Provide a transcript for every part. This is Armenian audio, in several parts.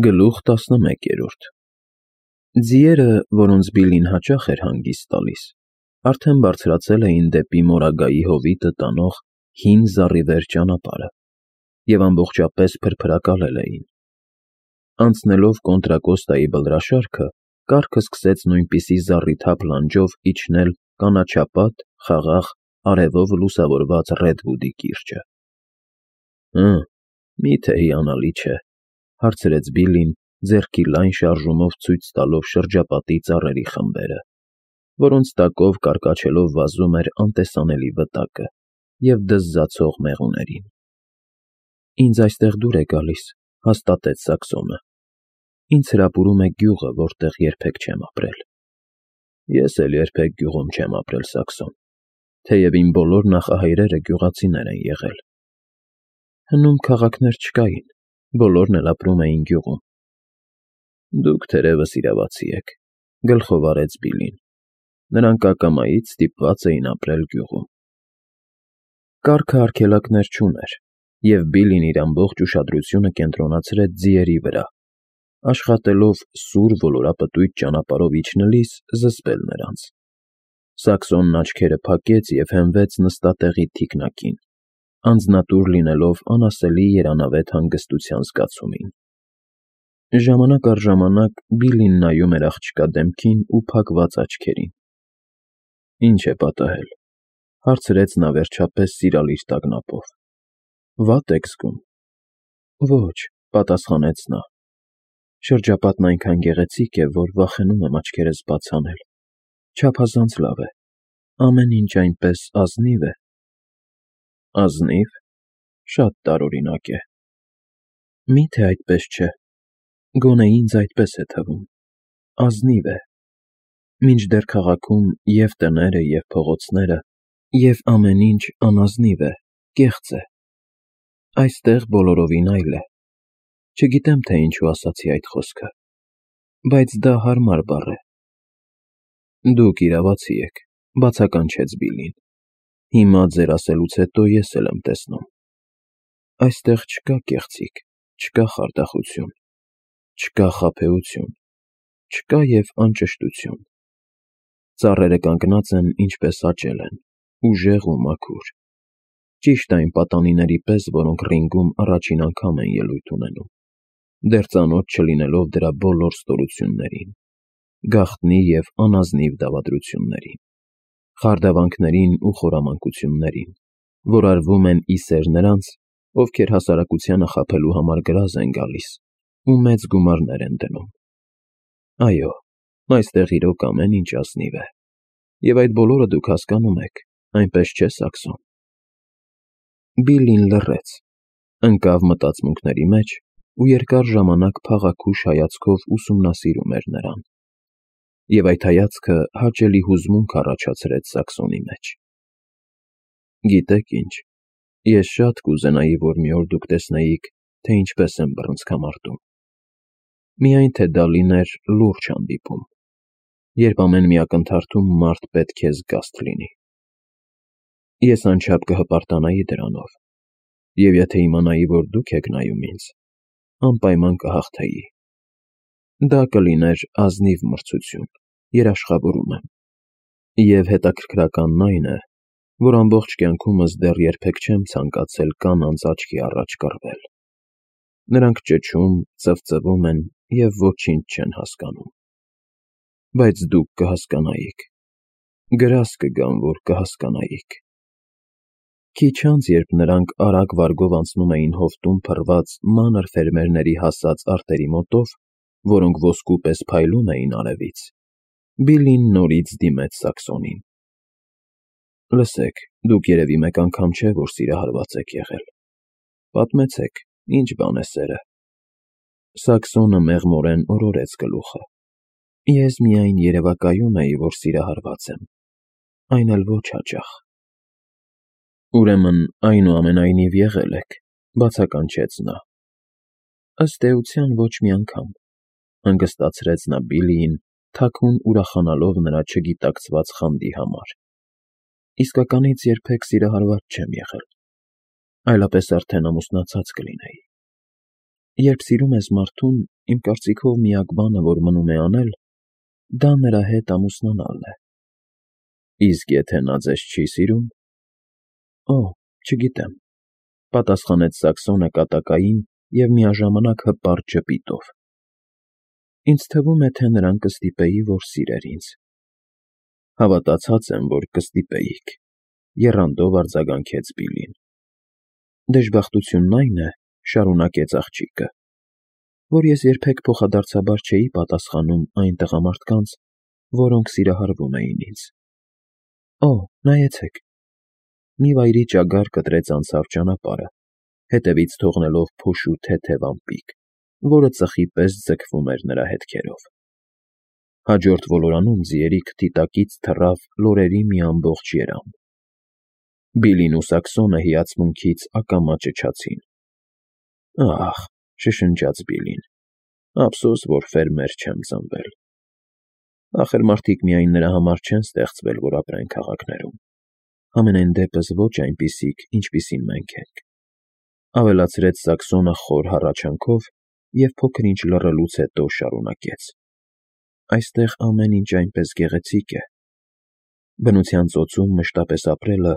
Գլուխ 11 Ձիերը, որոնց Բիլլին հաճախ էր հանգիստ տալիս, արդեն բարձրացել էին դեպի Մորագայի հովիտը տանող հին զառիվեր ճանապարհը և ամբողջապես փրփրակալել էին։ Անցնելով Կոնտրակոստայի բլրաշարքը, կառքը սկսեց նույնպիսի զառիթափ լանջով իջնել կանաչապատ, խաղաղ, արևով լուսավորված Ռեդվուդի կիրճը։ Մի՞թե հիանալի չէ,֊ հարցրեց Բիլլին, ձեռքի լայն շարժումով ցույց տալով շրջապատի ծառերի խմբերը, որոնց տակով կարկաչելով վազում էր անտեսանելի վտակը և դզզացող մեղուներին։ Ինձ այստեղ դուր է գալիս, հաստատեց Սաքսոնը։ Ինձ հրապուրում է գյուղը, որտեղ երբեք չեմ ապրել։ Ես էլ երբեք գյուղում չեմ ապրել, Սաքսոն, թեև իմ բոլոր նախահայրերը գյուղացիներ են եղել։ Հնում քաղաքներ չկային, բոլորն էլ ապրում էին գյուղում։ Դուք թերևս իրավացի եք,֊ գլխով արեց Բիլլին։ Նրանք ակամայից ստիպված էին ապրել գյուղում։ Կառքը արգելակներ չուներ, և Բիլլին իր ամբողջ ուշադրությունը կենտրոնացրեց ձիերի վրա, աշխատելով սուր ոլորապտույտ ճանապարհով իջնելիս զսպել նրանց։ Սաքսոնն աչքերը փակեց և հենվեց նստատեղի թիկնակին, անձնատուր լինելով անասելի երանավետ հանգստության զգացումին։ Ժամանակ առ ժամանակ Բիլլին նայում էր աղջկա դեմքին ու փակված աչքերին։ Ինչ է պատահել,֊ հարցրեց նա վերջապես սիրալիր տագնապով։ Վատ եք զգում։ Ոչ,֊ պատասխանեց նա։ Շրջապատն այնքան գեղեցիկ է, որ վախենում եմ աչքերս բաց անել։ Չափազանց լավ է։ Ամեն ինչ այնպես ազնիվ է։ Ազնի՞վ,… Շատ տարօրինակ է։ Մի՞թե այդպես չէ։ Գոնե ինձ այդպես է թվում։ Ազնիվ է։ Մինչդեռ քաղաքում և տները, և փողոցները, և ամեն ինչ անազնիվ է, կեղծ է։ Այստեղ բոլորովին այլ է։ Չգիտեմ, թե ինչու ասացի այդ խոսքը, բայց դա հարմար բառ է։ Դուք իրավացի եք,֊ բացականչեց Բիլլին։ Հիմա ձեր ասելուց հետո ես էլ եմ տեսնում։ Այստեղ չկա կեղծիք, չկա խարդախություն, չկա խաբեություն, չկա և անճշտություն։ Ծառերը կանգնած են, ինչպես աճել են, ուժեղ ու մաքուր։ Ճիշտ այն պատանիների պես, որոնք ռինգում առաջին անգամ են ելույթ ունենում, դեռ ծանոթ չլինելով դրա բոլոր ստորություններին, գաղտնի և անազնիվ դավադրություններին, խարդավանքներին ու խորամանկություններին, որ արվում են ի սեր նրանց, ովքեր հասարակությանը խաբելու համար գրազ են գալիս ու մեծ գումարներ են դնում։ Այո, այստեղ իրոք ամեն ինչ ազնիվ է, և այդ բոլորը դուք հասկանում եք, այնպես չէ՞, Սաքսոն։ Բիլլին լռեց, ընկավ մտածմունքների մեջ ու երկար ժամանակ փաղաքուշ հայացքով ուսումնասիրում էր նրան։ Եվ այդ հայացքը հաճելի հուզմունք առաջացրեց Սաքսոնի մեջ։ Գիտեք ինչ, ես շատ կուզենայի, որ մի օր դուք տեսնեիք, թե ինչպես եմ բռնցքամարտում։ Միայն թե դա լիներ լուրջ հանդիպում, երբ ամեն մի ակնթարթում մարդ պետք է զգաստ լինի։ Ես անչափ կհպարտանայի դրանով, և եթե իմանայի, որ դուք եք նայում ինձ, անպայման կհաղթեի։ Դա կլիներ ազնիվ մրցություն, երաշխավորում եմ։ Եվ հետաքրքրականն այն է, որ ամբողջ կյանքումս դեռ երբեք չեմ ցանկացել կանանց աչքի առաջ կռվել։ Նրանք ճչում, ծվծվում են և ոչինչ չեն հասկանում։ Բայց դուք կհասկանայիք, գրազ կգամ, որ կհասկանայիք։ Քիչ անց, երբ նրանք արագ վարգով անցնում էին հովտում փռված մանր ֆերմերների հասած արտերի մոտով, որոնք ոսկու պես փայլում էին արևից, Բիլլին նորից դիմեց Սաքսոնին։ Լսեք, դուք երևի մեկ անգամ չէ, որ սիրահարված եք եղել։ Պատմեցեք, ինչ բան է սերը։ Սաքսոնը մեղմորեն օրորեց գլուխը։ Ես միայն երևակայում էի, որ սիրահարված եմ, այն էլ ոչ հաճախ։ Ուրեմն այնուամենայնիվ եղել եք,֊ բացականչեց նա։ Ըստ էության ոչ մի անգամ,֊ հանգստացրեց նա Բիլլիին, թաքուն ուրախանալով նրա չգիտակցված խանդի համար։ Իսկականից երբեք սիրահարված չեմ եղել, այլապես արդեն ամուսնացած կլինեի։ Երբ սիրում ես մարդուն, իմ կարծիքով միակ բանը, որ մնում է անել, դա նրա հետ ամուսնանալն է։ Իսկ եթե նա ձեզ չի սիրում։ Օ, չգիտեմ, պատասխանեց Սաքսոնը կատակային և միաժամանակ հպարտ ժպիտով։ Ինձ թվում է, թե նրան կստիպեի, որ սիրեր ինձ։ Հավատացած եմ, որ կստիպեիք, եռանդով արձագանքեց Բիլին։ Դժբախտությունն այն է, շարունակեց աղջիկը, որ ես երբեք փոխադարձաբար չէի պատասխանում այն տղամարդկանց, որոնք սիրահարվում էին ինձ։ Օ, նայեցեք։ Մի վայրի ճագար կտրեց անցավ ճանապարհը, հետևից թողնելով փոշու թեթև ամպիկ, որը ծխի պես ձգվում էր նրա հետքերով։ Հաջորդ ոլորանում ձիերի քթի թռավ լորերի մի ամբողջ երամ։ Բիլին ու Սաքսոնը հիացմունքից ակամա ճչացին։ Ահ, շշնջաց Բիլին, ափսոս, որ ֆերմեր չեմ ծնվել։ Ախր մարդիկ միայն նրա համար չեն ստեղծվել, որ ապրեն քաղաքներում, համենայն դեպս ոչ այնպիսիք, ինչպիսին մենք ենք, ավելացրեց Սաքսոնը խոր հառաչանքով և փոքր-ինչ լռելուց հետո շարունակեց. Այստեղ ամեն ինչ այնպես գեղեցիկ է։ Բնության ծոցում մշտապես ապրելը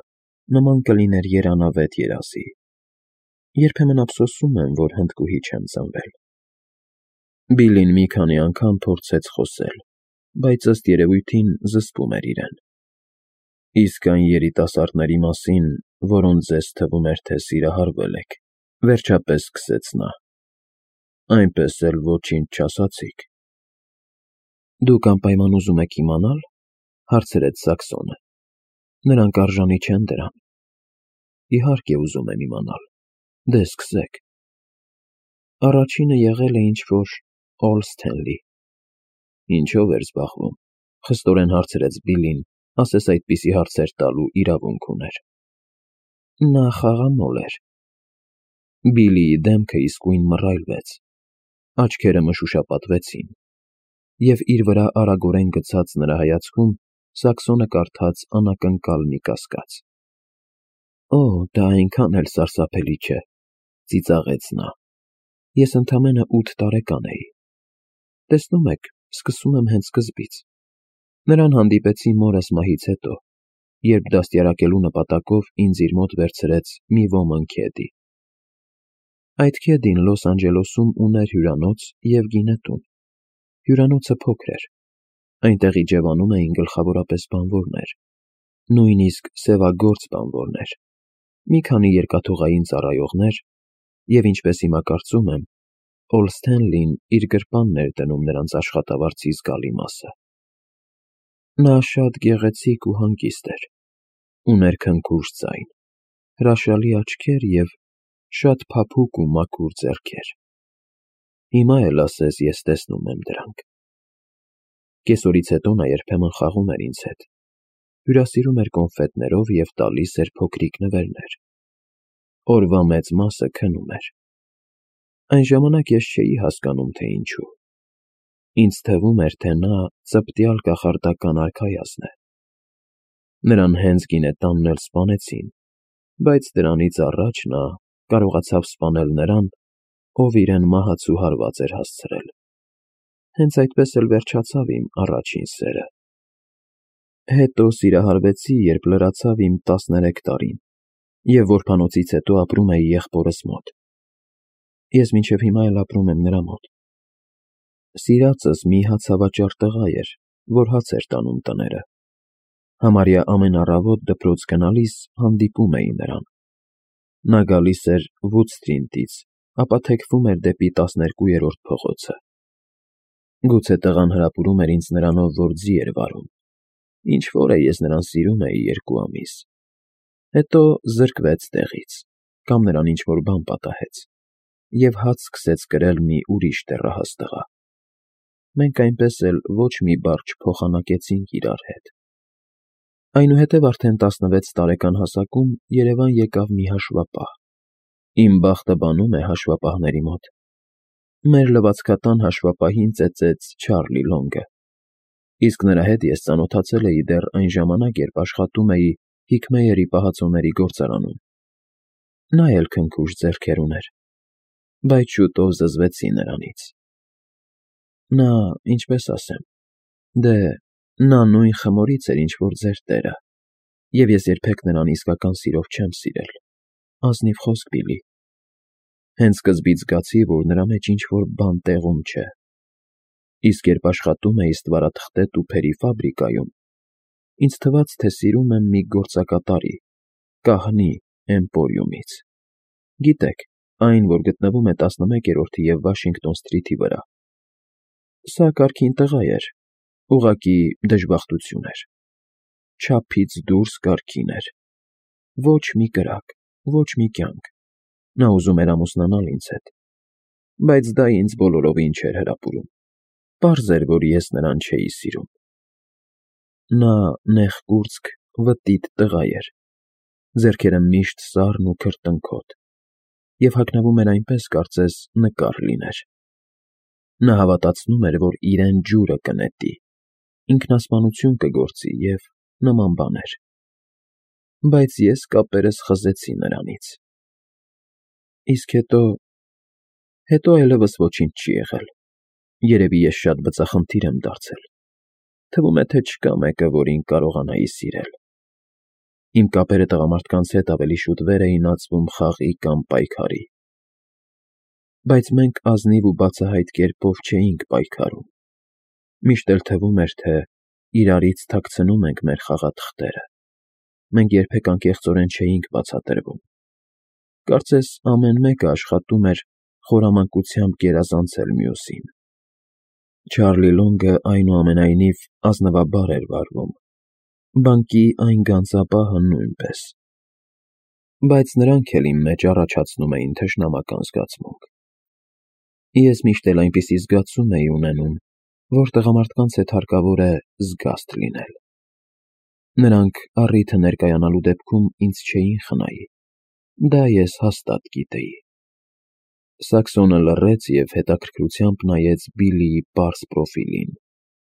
նման կլիներ երանավետ երազի։ Երբեմն ափսոսում եմ, որ հնդկուհի չեմ ծնվել։ Բիլին մի քանի անգամ փորձեց խոսել, բայց ըստ երևույթին զսպում էր իրեն։ Իսկ այն երիտասարդների մասին, որոնց ձեզ թվում էր, թե սիրահարվել եք, վերջապես սկսեց նա։ Այնպես էլ ոչինչ չասացիք։ Դուք անպայման ուզում եք իմանալ, հարցրեց Սաքսոնը։ Նրանք արժանի չեն դրան։ Իհարկե ուզում եմ իմանալ։ Դե սկսեք։ Առաջինը եղել է ինչ-որ Օլսթենլի։ Ինչով էր զբաղվում, խստորեն հարցրեց Բիլին, ասես այդպիսի հարցեր տալու իրավունք ուներ։ Նա խաղամոլ էր։ Բիլիի դեմքը իսկույն մռայլվեց, աչքերը մշուշապատվեցին, և իր վրա արագորեն գցած նրա հայացքում Սաքսոնը կարդաց անակնկալ մի կասկած։ Օ, դա այնքան էլ սարսափելի չէ, ծիծաղեց նա։ Ես ընդամենը 8 տարեկան էի։ Տեսնում եք, սկսում եմ հենց սկզբից։ Նրան հանդիպեցի մորս մահից հետո, երբ դաստիարակելու նպատակով ինձ իր մոտ վերցրեց մի ոմն քեդի։ Այդ քեդին Լոս Անջելեսում ուներ հյուրանոց և գինետուն։ Հյուրանոցը փոքր էր։ Այնտեղ իջևանում էին գլխավորապես բանվորներ, նույնիսկ սևագործ բանվորներ, մի քանի երկաթուղային ծառայողներ և, ինչպես հիմա կարծում եմ, Օլսթենլին իր գրպանն էր դնում նրանց աշխատավարձի զգալի մասը։ Նա շատ գեղեցիկ ու հանգիստ էր, ուներ քնքուշ ձայն, հրաշալի աչքեր և շատ փափուկ ու մաքուր ձեռքեր։ Հիմա էլ ասես ես տեսնում եմ դրանք։ Կեսօրից հետո նա երբեմն խաղում էր ինձ հետ, հյուրասիրում էր կոնֆետներով և տալիս էր փոքրիկ նվերներ։ Օրվա մեծ մասը քնում էր։ Այն ժամանակ ես չէի հասկանում, թե ինչու։ Ինձ թվում էր, թե նա ծպտյալ կախարդական արքայազն է։ Նրան հենց գինետանն էլ սպանեցին, բայց դրանից առաջ նա կարողացավ սպանել նրան, ով իրեն մահացու հարված էր հասցրել։ Հենց այդպես էլ վերջացավ իմ առաջին սերը։ Հետո սիրահարվեցի, երբ լրացավ իմ 13 տարին, և որբանոցից հետո ապրում էի եղբորս մոտ։ Ես մինչև հիմա էլ ապրում եմ նրա մոտ։ Սիրածս մի հացավաճառ տղա էր, որ հաց էր տանում տները։ Համարյա ամեն առավոտ դպրոց գնալիս հանդիպում էի նրան։ Նա գալիս էր Վուդ Սթրիթից, ապա թեքվում էր դեպի 12-րդ փողոցը։ Գուցե տղան հրապուրում էր ինձ նրանով, որ ձի էր վարում։ Ինչ-որ է ես նրան սիրում էի 2 ամիս։ Հետո զրկվեց տեղից, կամ նրան ինչ-որ բան պատահեց, և հաց սկսեց կրել մի ուրիշ դեռահաս տղա։ Մենք այնպես էլ ոչ մի բառ չփոխանակեցինք իրար հետ։ Այնուհետև արդեն 16 տարեկան հասակում Երևան եկավ մի հաշվապահ։ Իմ բախտը բանում է հաշվապահների մոտ։ Մեր լվացքատան հաշվապահին ծեծեց Չարլի Լոնգը, իսկ նրա հետ ես ծանոթացել էի դեռ այն ժամանակ, երբ աշխատում էի Հիքմեյերի պահածոների գործարանում։ Նա էլ քնքուշ ձեռքեր ուներ, բայց շուտով զզվեցի նրանից։ Նա, ինչպես ասեմ, դե, նա նույն խմորից էր, ինչ որ ձեր տերը, և ես երբեք նրան իսկական սիրով չեմ սիրել, ազնիվ խոսք, Բիլլի, հենց սկզբից զգացի, որ նրա մեջ ինչ-որ բան տեղում չէ, իսկ երբ աշխատում էի ստվարաթղթե տուփերի ֆաբրիկայում, ինձ թվաց, թե սիրում եմ մի գործակատարի, կահնի Էմպորիումից, գիտեք, այն, որ գտնվում է 11-րդ և Վաշինգտոն Սթրիթի վրա, սա կարգին տղա էր, ուղղակի դժբախտություն էր, չափից դուրս կարգին էր, ոչ մի կրակ, ոչ մի կյանք, նա ուզում էր ամուսնանալ ինձ հետ, բայց դա ինձ բոլորովին չէր հրապուրում, պարզ էր, որ ես նրան չէի սիրում, նա նեղկուրծք, վտիտ տղա էր, ձեռքերը միշտ սառն ու քրտնքոտ, և հագնվում էր այնպես, կարծես նկար լիներ, նա հավատացնում էր, որ իրեն ջուրը կնետի, ինքնասպանություն կգործի և նման բաներ, բայց ես կապերս խզեցի նրանից, իսկ հետո այլևս ոչինչ չի եղել, երևի ես շատ բծախնդիր եմ դարձել, թվում է, թե չկա մեկը, որին կարողանայի սիրել, իմ կապերը տղամարդկանց հետ ավելի շուտ վեր էին ածվում խաղի կամ պայքարի, բայց մենք ազնիվ ու բացահայտ կերպով չէինք պայքարում, միշտ էլ թվում էր, թե իրարից թաքցնում ենք մեր խաղաթղթերը, մենք երբեք անկեղծորեն չէինք բացատրվում, կարծես ամեն մեկը աշխատում էր խորամանկությամբ գերազանցել մյուսին, Չարլի Լոնգը այնուամենայնիվ ազնվաբար էր վարվում, բանկի այն գանձապահը նույնպես, բայց նրանք էլ իմ մեջ առաջացնում էին թշնամական զգացմունք, ես միշտ էլ այնպիսի զգացում էի ունենում, որ տղամարդկանց հետ հարկավոր է զգաստ լինել, նրանք առիթը ներկայանալու դեպքում ինձ չէին խնայի, դա ես հաստատ գիտեի, Սաքսոնը լռեց և հետաքրքրությամբ նայեց Բիլլիի պարզ պրոֆիլին,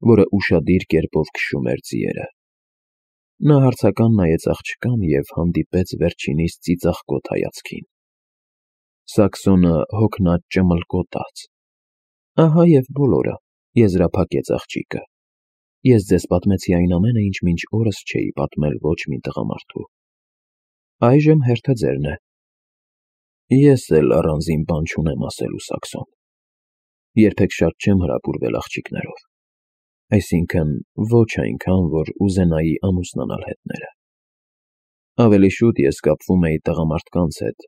որը ուշադիր կերպով քշում էր ձիերը, նա հարցական նայեց աղջկան և հանդիպեց վերջինիս ծիծաղկոտ հայացքին, Սաքսոնը հոգնած ճմլկոտաց, ահա և բոլորը, եզրափակեց աղջիկը, ես ձեզ պատմեցի այն ամենը, ինչ մինչ օրս չէի պատմել ոչ մի տղամարդու, այժմ հերթը ձերն է, ես էլ առանձին բան չունեմ ասելու, Սաքսոն, երբեք շատ չեմ հրապուրվել աղջիկներով, այսինքն ոչ այնքան, որ ուզենայի ամուսնանալ հետները, ավելի շուտ ես կապվում էի տղամարդկանց հետ,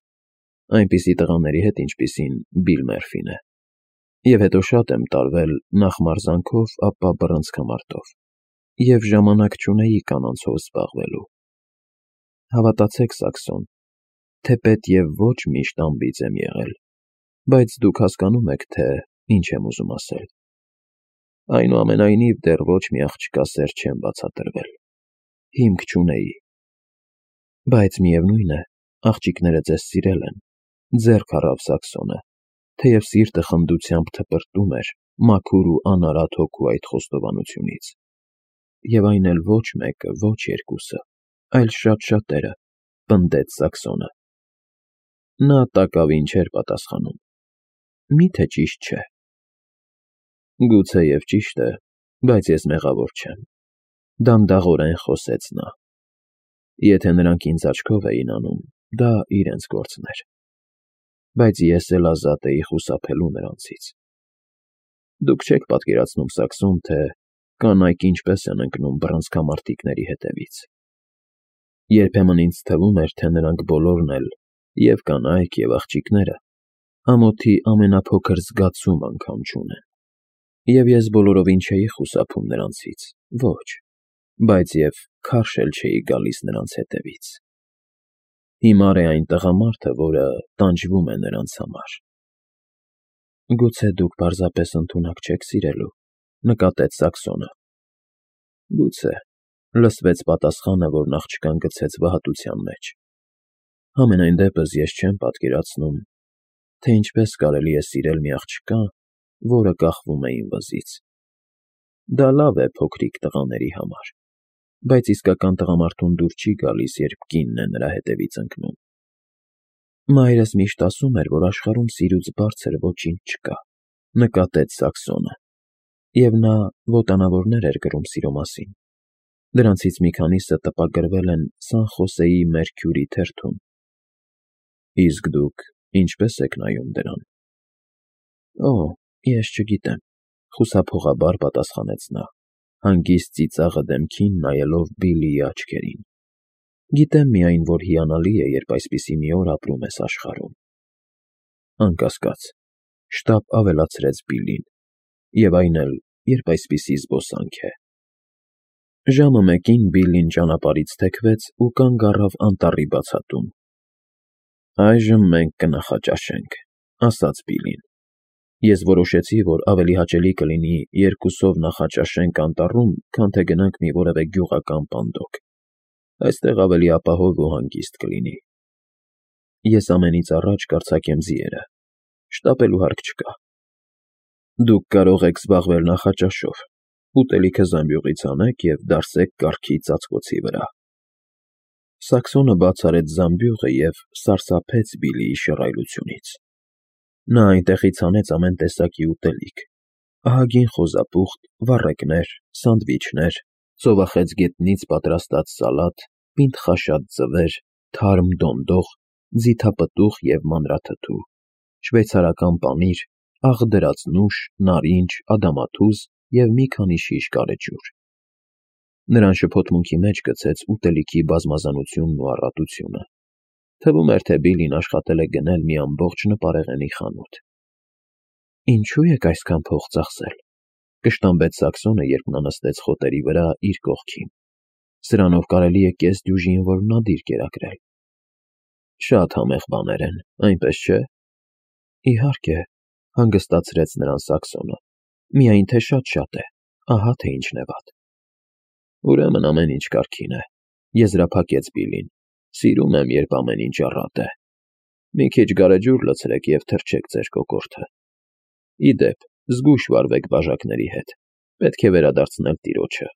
այնպիսի տղաների հետ, ինչպիսին Բիլ Մերֆին է, և հետո շատ եմ տարվել նախ մարզանքով, ապա բռնցքամարտով, և ժամանակ չունեի կանանցով զբաղվելու, հավատացեք, Սաքսոն, թեպետ և ոչ միշտ անբիծ եմ եղել, բայց դուք հասկանում եք, թե ինչ եմ ուզում ասել, այնուամենայնիվ դեռ ոչ մի աղջկա սեր չեմ բացատրվել, հիմք չունեի, բայց միևնույն է, աղջիկները ձեզ սիրել են, ձեռք առավ Սաքսոնը, թեև սիրտը խնդությամբ թպրտում էր մաքուր ու անարատ հոգու այդ խոստովանությունից, և այն էլ ոչ մեկը, ոչ երկուսը, այլ շատ-շատերը, պնդեց Սաքսոնը, նա տակավին չէր պատասխանում, միթե ճիշտ չէ, գուցեև ճիշտ է, բայց ես մեղավոր չեմ, դանդաղորեն խոսեց նա, եթե նրանք ինձ աչքով էին անում, դա իրենց գործն էր, բայց ես էլ ազատ էի խուսափելու նրանցից, դուք չեք պատկերացնում, Սաքսոն, թե կանայք ինչպես են ընկնում բռնցքամարտիկների հետևից, երբեմն ինձ թվում էր, թե նրանք բոլորն էլ, և կանայք, և աղջիկները, ամոթի ամենափոքր զգացում անգամ չունեն, և ես բոլորովին չէի խուսափում նրանցից, ոչ, բայց և քարշ էլ չէի գալիս նրանց հետևից, հիմար է այն տղամարդը, որը տանջվում է նրանց համար, գուցե դուք պարզապես ընդունակ չեք սիրելու, նկատեց Սաքսոնը, գուցե, լսվեց պատասխանը, որն աղջկան գցեց վհատության մեջ, համենայն դեպս ես չեմ պատկերացնում, թե ինչպես կարելի է սիրել մի աղջկա, որը կախվում է իմ վզից, դա լավ է փոքրիկ տղաների համար, բայց իսկական տղամարդուն դուր չի գալիս, երբ կինն է նրա հետևից ընկնում, մայրս միշտ ասում էր, որ աշխարհում սիրուց բարձր ոչինչ չկա, նկատեց Սաքսոնը, Եվ նա ոտանավորներ էր գրում սիրո մասին։ Դրանցից մի քանիսը տպագրվել են Սան Խոսեի Մերքյուրի թերթում։ Իսկ դուք ինչպե՞ս եք նայում դրան։ Օ, ես չգիտեմ, խուսափողաբար պատասխանեց նա, հանգիստ ծիծաղը դեմքին նայելով Բիլլիի աչքերին։ Գիտեմ միայն, որ հիանալի է, երբ այսպիսի մի օր ապրում ես աշխարհում։ Անկասկած, շտապ ավելացրեց Բիլլին, եւ այն էլ, երբ այսպիսի զբոսանք է։ Ժամը 1-ին Բիլլին ճանապարհից թեքվեց ու կանգ առավ անտառի բացատում։ Այժմ մենք կնախաճաշենք, ասաց Բիլլին։ Ես որոշեցի, որ ավելի հաճելի կլինի երկուսով նախաճաշենք անտառում, քան թե գնանք մի որևէ գյուղական պանդոկ։ Այստեղ ավելի ապահով ու հանգիստ կլինի։ Ես ամենից առաջ կարձակեմ ձիերը։ Շտապելու հարկ չկա։ Դուք կարող եք զբաղվել նախաճաշով, ուտելիքը զամբյուղից անեք և դարսեք կառքի ծածկոցի վրա։ Սաքսոնը բաց արեց զամբյուղը և սարսափեց Բիլլիի շռայլությունից։ Նա այնտեղից հանեց ամեն տեսակի ուտելիք. ահագին խոզապուխտ, վառեկներ, սանդվիչներ, ծովախեց գետնից պատրաստած սալատ, պինդ խաշած ձվեր, թարմ դոնդող, ձիթապտուղ և մանրաթթու, շվեյցարական պանիր, աղդրածնուշ, նարինջ, ադամաթուզ և մի քանի շիշ գարեջուր։ Նրան շփոթմունքի մեջ գցեց ուտելիքի բազմազանությունն ու առատությունը։ Թվում էր, թե Բիլլին աշխատել է գնել մի ամբողջ նպարեղենի խանութ։ Ինչու եք այսքան փող ծախսել, կշտամբեց Սաքսոնը, երբ նա նստեց խոտերի վրա իր կողքին։ Սրանով կարելի է կես դյուժին որմնադիր կերակրել։ Շատ համեղ բաներ են, այնպես չէ։ Իհարկե, հանգստացրեց նրան Սաքսոնը։ Միայն թե շատ է, ահա թե ինչն է վատ։ Ուրեմն ամեն ինչ կարգին է, եզրափակեց Բիլլին։ Սիրում եմ, երբ ամեն ինչ առատ է։ Մի քիչ գարեջուր լցրեք և թրջեք ձեր կոկորդը։ Ի դեպ, զգույշ վարվեք բաժակների հետ։ Պետք է վերադարձնել տիրոջը։